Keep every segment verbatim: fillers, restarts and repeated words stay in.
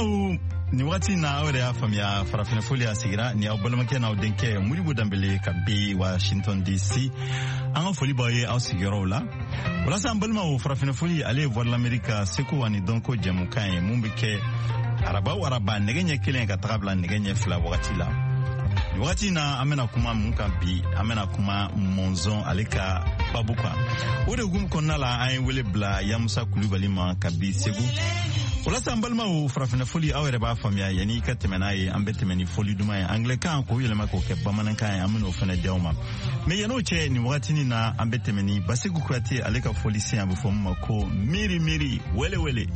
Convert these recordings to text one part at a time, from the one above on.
Balimaw, nin wagati na aw yɛrɛ y'a faamuya, farafinna foli a sigira ni aw balimakɛ n'aw denkɛ Modibo Danbele ka bi Washington D C. An ka foli b'aw ye aw sigiyɔrɔw la. Walasa an balimaw, farafinna foli ale ye Voix de l'Amérique ka seko ani dɔnko jɛmukan ye mun bɛ kɛ araba o araba, nɛgɛ ɲɛ kelen ka taga bila nɛgɛ ɲɛ fila wagati la. Nin wagati na, an bɛna kuma mun kan bi? An bɛna kuma mɔnzɔn ale ka babu kan. O de hukumu kɔnɔna la, an ye wele bila Yamusa Kulubali ma ka bi Segu. Walasa an balimaw, farafinna foli, aw yɛrɛ b'a faamuya, yanni i ka tɛmɛ n'a ye, an bɛ tɛmɛ ni foli duman ye, anglɛkan k'o yɛlɛma k'o kɛ bamanankan ye. An bɛn'o fɛnɛ di aw ma. Mɛ yann'o cɛ, nin wagatinin na, an bɛ tɛmɛ ni Basiku Kuyate ale ka foli sen, a bɛ fɔ min ma ko Miiri Miiri Wele Wele.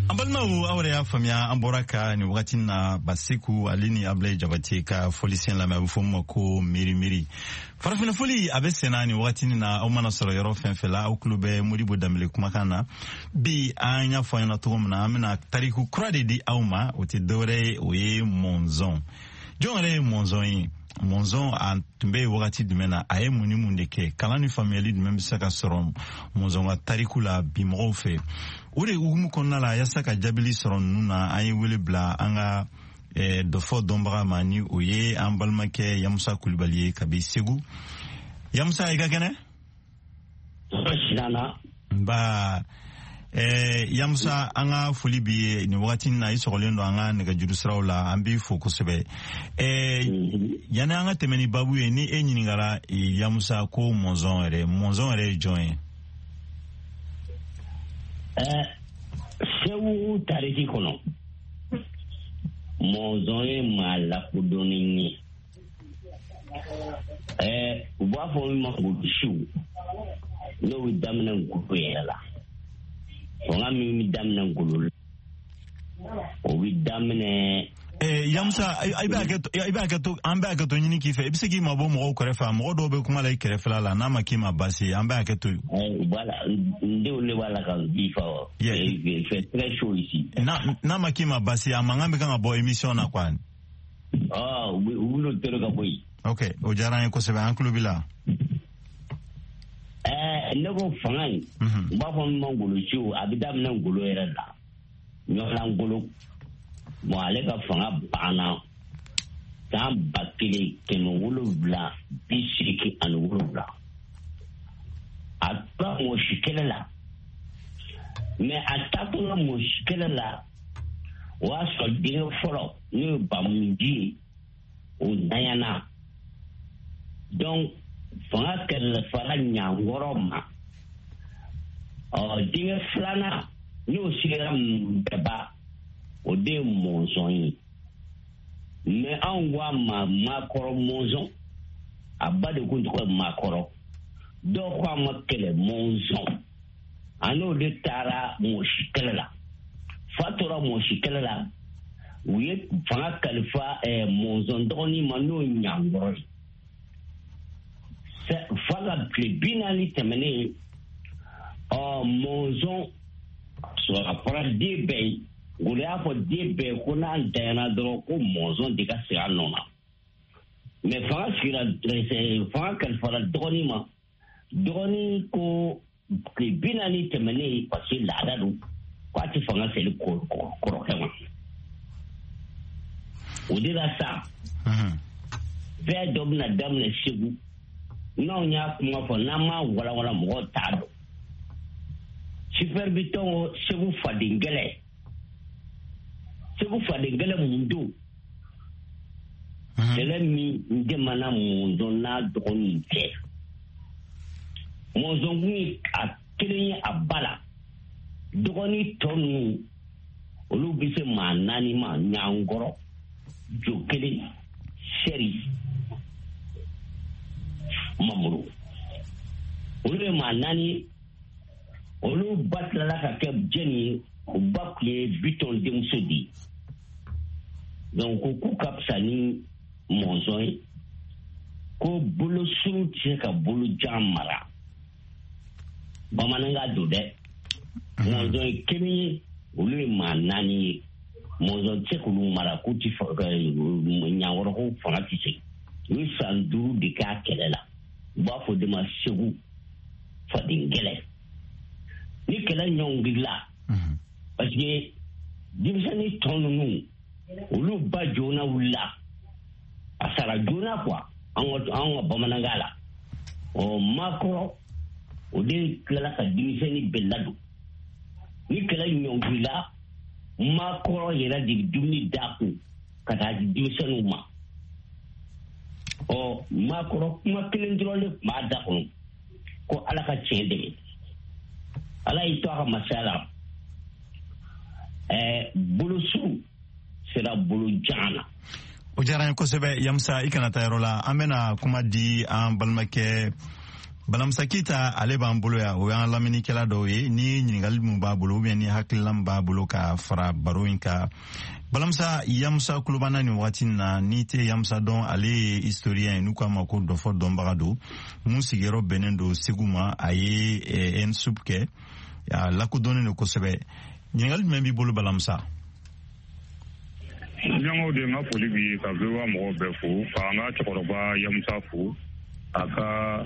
An balimaw, aw yɛrɛ y'a faamuya, an bɔra ka nin wagati na Basiku ale ni Abilayi Jabate ka folisen lamɛn, a bɛ fɔ min ma ko Miiri Miiri. Farafinna foli a bɛ senna nin wagati na. Aw mana sɔrɔ yɔrɔ fɛn fɛn la, aw tulo bɛ Modibo Danbele kumakan na. Bi, an y'a fɔ an ɲɛna cogo min na, an bɛna tariku kura de di aw ma. O tɛ dɔwɛrɛ ye, o ye mɔnzɔn. Jɔn yɛrɛ ye mɔnzɔn ye? Mɔnzɔn a tun bɛ yen wagati jumɛn na? A ye mun ni mun de kɛ? Kalan ni faamuyali jumɛn bɛ se ka sɔrɔ mɔnzɔn ka tariku la bi mɔgɔw fɛ? O de hukumu kɔnɔna la, yaasa ka jaabili sɔrɔ ninnu na, an ye wele bila an ka eh, dɔfɔ dɔnbaga ma, ni o ye an balimakɛ Yamusa Kulibali ye kabi Segu. Yamusa, i ka kɛnɛ? Nba. Eh, Yamusa, an ka foli b'i ye nin wagati na. I sɔgɔlen don an ka nɛgɛjuru siraw la, an b'i fo kosɛbɛ. Eh, yanni an ka tɛmɛ ni babu ye, ni e ɲininkara, Yamusa, ko Mɔnzɔn yɛrɛ, Mɔnzɔn yɛrɛ ye jɔn ye? Eh, Segu tariki kɔnɔ, Mɔnzɔn ye maa lakodɔnnen ye. Eh, u b'a fɔ min ma ngolosiw, n'o bɛ daminɛ ngolo yɛrɛ la. Fanga min bɛ daminɛ ngolo la, o bɛ daminɛ. Eh, Yamusa, i bɛ hakɛ to, i bɛ hakɛ to, an bɛ hakɛ to ɲini k'i fɛ. I bɛ se k'i mabɔ mɔgɔw kɛrɛfɛ? Mɔgɔ dɔw bɛ kuma la i kɛrɛfɛla la, n'a ma k'i ma baasi ye, an bɛ hakɛ to. Voilà, n denw de b'a la ka bi fa. Il fait très chaud ici. N'a ma k'i ma baasi ye, a mankan bɛ kan ka bɔ émission na quoi. Ah, u b'olu tere ka bɔ yen. Ok, o diyara an ye kosɛbɛ, an tulo b'i la. Ɛɛ, ne ko fanga in, u b'a fɔ min ma ngolosiw, a bɛ daminɛ ngolo yɛrɛ la, ɲɔgɔnna ngolo. Bon, ale ka fanga banna san ba kelen kɛmɛ wolonwula bi seegin ani wolonwula. A tora mɔsi kɛlɛ la, mais a taatɔla mɔsi kɛlɛ la, o y'a sɔrɔ denkɛ fɔlɔ, n'o ye Bamunji ye, o ntanyana. Donc fanga kalifara Ɲankɔrɔ ma. Ɔ, denkɛ filanan, n'o sigira Nbɛba, o de ye Mɔnzɔn ye. Mais anw ko a ma Makɔrɔ Mɔnzɔn, a ba de kun tɔgɔ ye Makɔrɔ. Dɔw ko a ma Kɛlɛ Mɔnzɔn. A n'o de taara mɔsi kɛlɛ la. Fa tora mɔsi kɛlɛ la, u ye fanga kalifa Mɔnzɔn dɔgɔnin ma, n'o ye Ɲankɔrɔ ye. Fa ka tile bi naani tɛmɛnen, ɔ, Mɔnzɔn sɔrɔ a fɔra den bɛɛ ye. Ngolo y'a fɔ den bɛɛ ko n'a ntanyana dɔrɔn, ko Mɔnzɔn de ka sigi a nɔ na. Mais fanga sigira, fanga kalifara dɔgɔnin ma. Dɔgɔnin ko tile bi naani tɛmɛnen, parce que laada don, k'a tɛ fanga seli kɔrɔkɛ ma. O de la sa, fɛn dɔ bɛna daminɛ Segu. N'anw y'a kuma fɔ, n'an m'a walawala, mɔgɔw t'a dɔn. Super Biton, Segu faden gɛlɛ, Segu faden gɛlɛ mun don? Kɛlɛ min dɛmɛna Mɔnzɔn n'a dɔgɔninw cɛ. Mɔnzɔn kun ye a kelen ye a ba la. Dɔgɔnin tɔ ninnu, olu bɛ se maa naani ma: Ɲankɔrɔ, Jo kelen, Sɛri, Mamuru. Olu ye maa naani ye. Olu ba tilala ka kɛ jɛni ye? O ba tun ye Bitɔn denmuso de ye. Donc ko k'u ka fisa ni Mɔnzɔn ye, ko bolo surun tɛ se ka bolo jan mara. Bamanankan don dɛ. Mɔnzɔn ye kelen ye, olu ye maa naani ye. Mɔnzɔn tɛ se k'olu mara, k'u ti Ɲankɔrɔ ko fanga tɛ se. U ye san duuru de k'a kɛlɛ la. U b'a fɔ de ma Segu faden gɛlɛ. Ni kɛlɛ ɲɔngirila, parce que denmisɛnnin tɔ ninnu, olu ba joona wulila, a sara joona quoi, an ka an ka bamanankan la. Ɔ, Makɔrɔ, o de tilala ka denmisɛnnin bɛɛ ladon. Ni kɛlɛ ɲɔngirila, Makɔrɔ yɛrɛ de bɛ dumuni d'a kun ka taa di denmisɛnninw ma. Ɔ, Makɔrɔ kuma kelen dɔrɔn de tun b'a da kɔnɔ, ko Ala ka tiɲɛ dɛmɛ. Ala y'i to a ka masaya la, ɛɛ, bolosu sera bolo jan na. O diyara n ye kosɛbɛ, Yamusa. I kana taa yɔrɔ la, an bɛna kuma di an balimakɛ Balamusa Keyita, ale b'an bolo yan. O y'an lamɛnnikɛla dɔw ye. Ni ɲininkali min b'a bolo, ou bien ni hakilina min b'a bolo ka fara baro in kan. Balamusa, Yamusa kulobana nin wagati na, n'i tɛ Yamusa dɔn, ale ye historien ye, n'u k'a ma ko dɔfɔ dɔnbaga don, mun sigiyɔrɔ bɛnnen don Segu ma. A ye ENSUP kɛ, a lakodɔnnen don kosɛbɛ. Ɲininkali jumɛn b'i bolo, Balamusa? Ɲɔgɔnw de, n ka foli b'i ye, ka V O A mɔgɔw bɛɛ fo, k'an ka cɛkɔrɔba Yamusa fo, a ka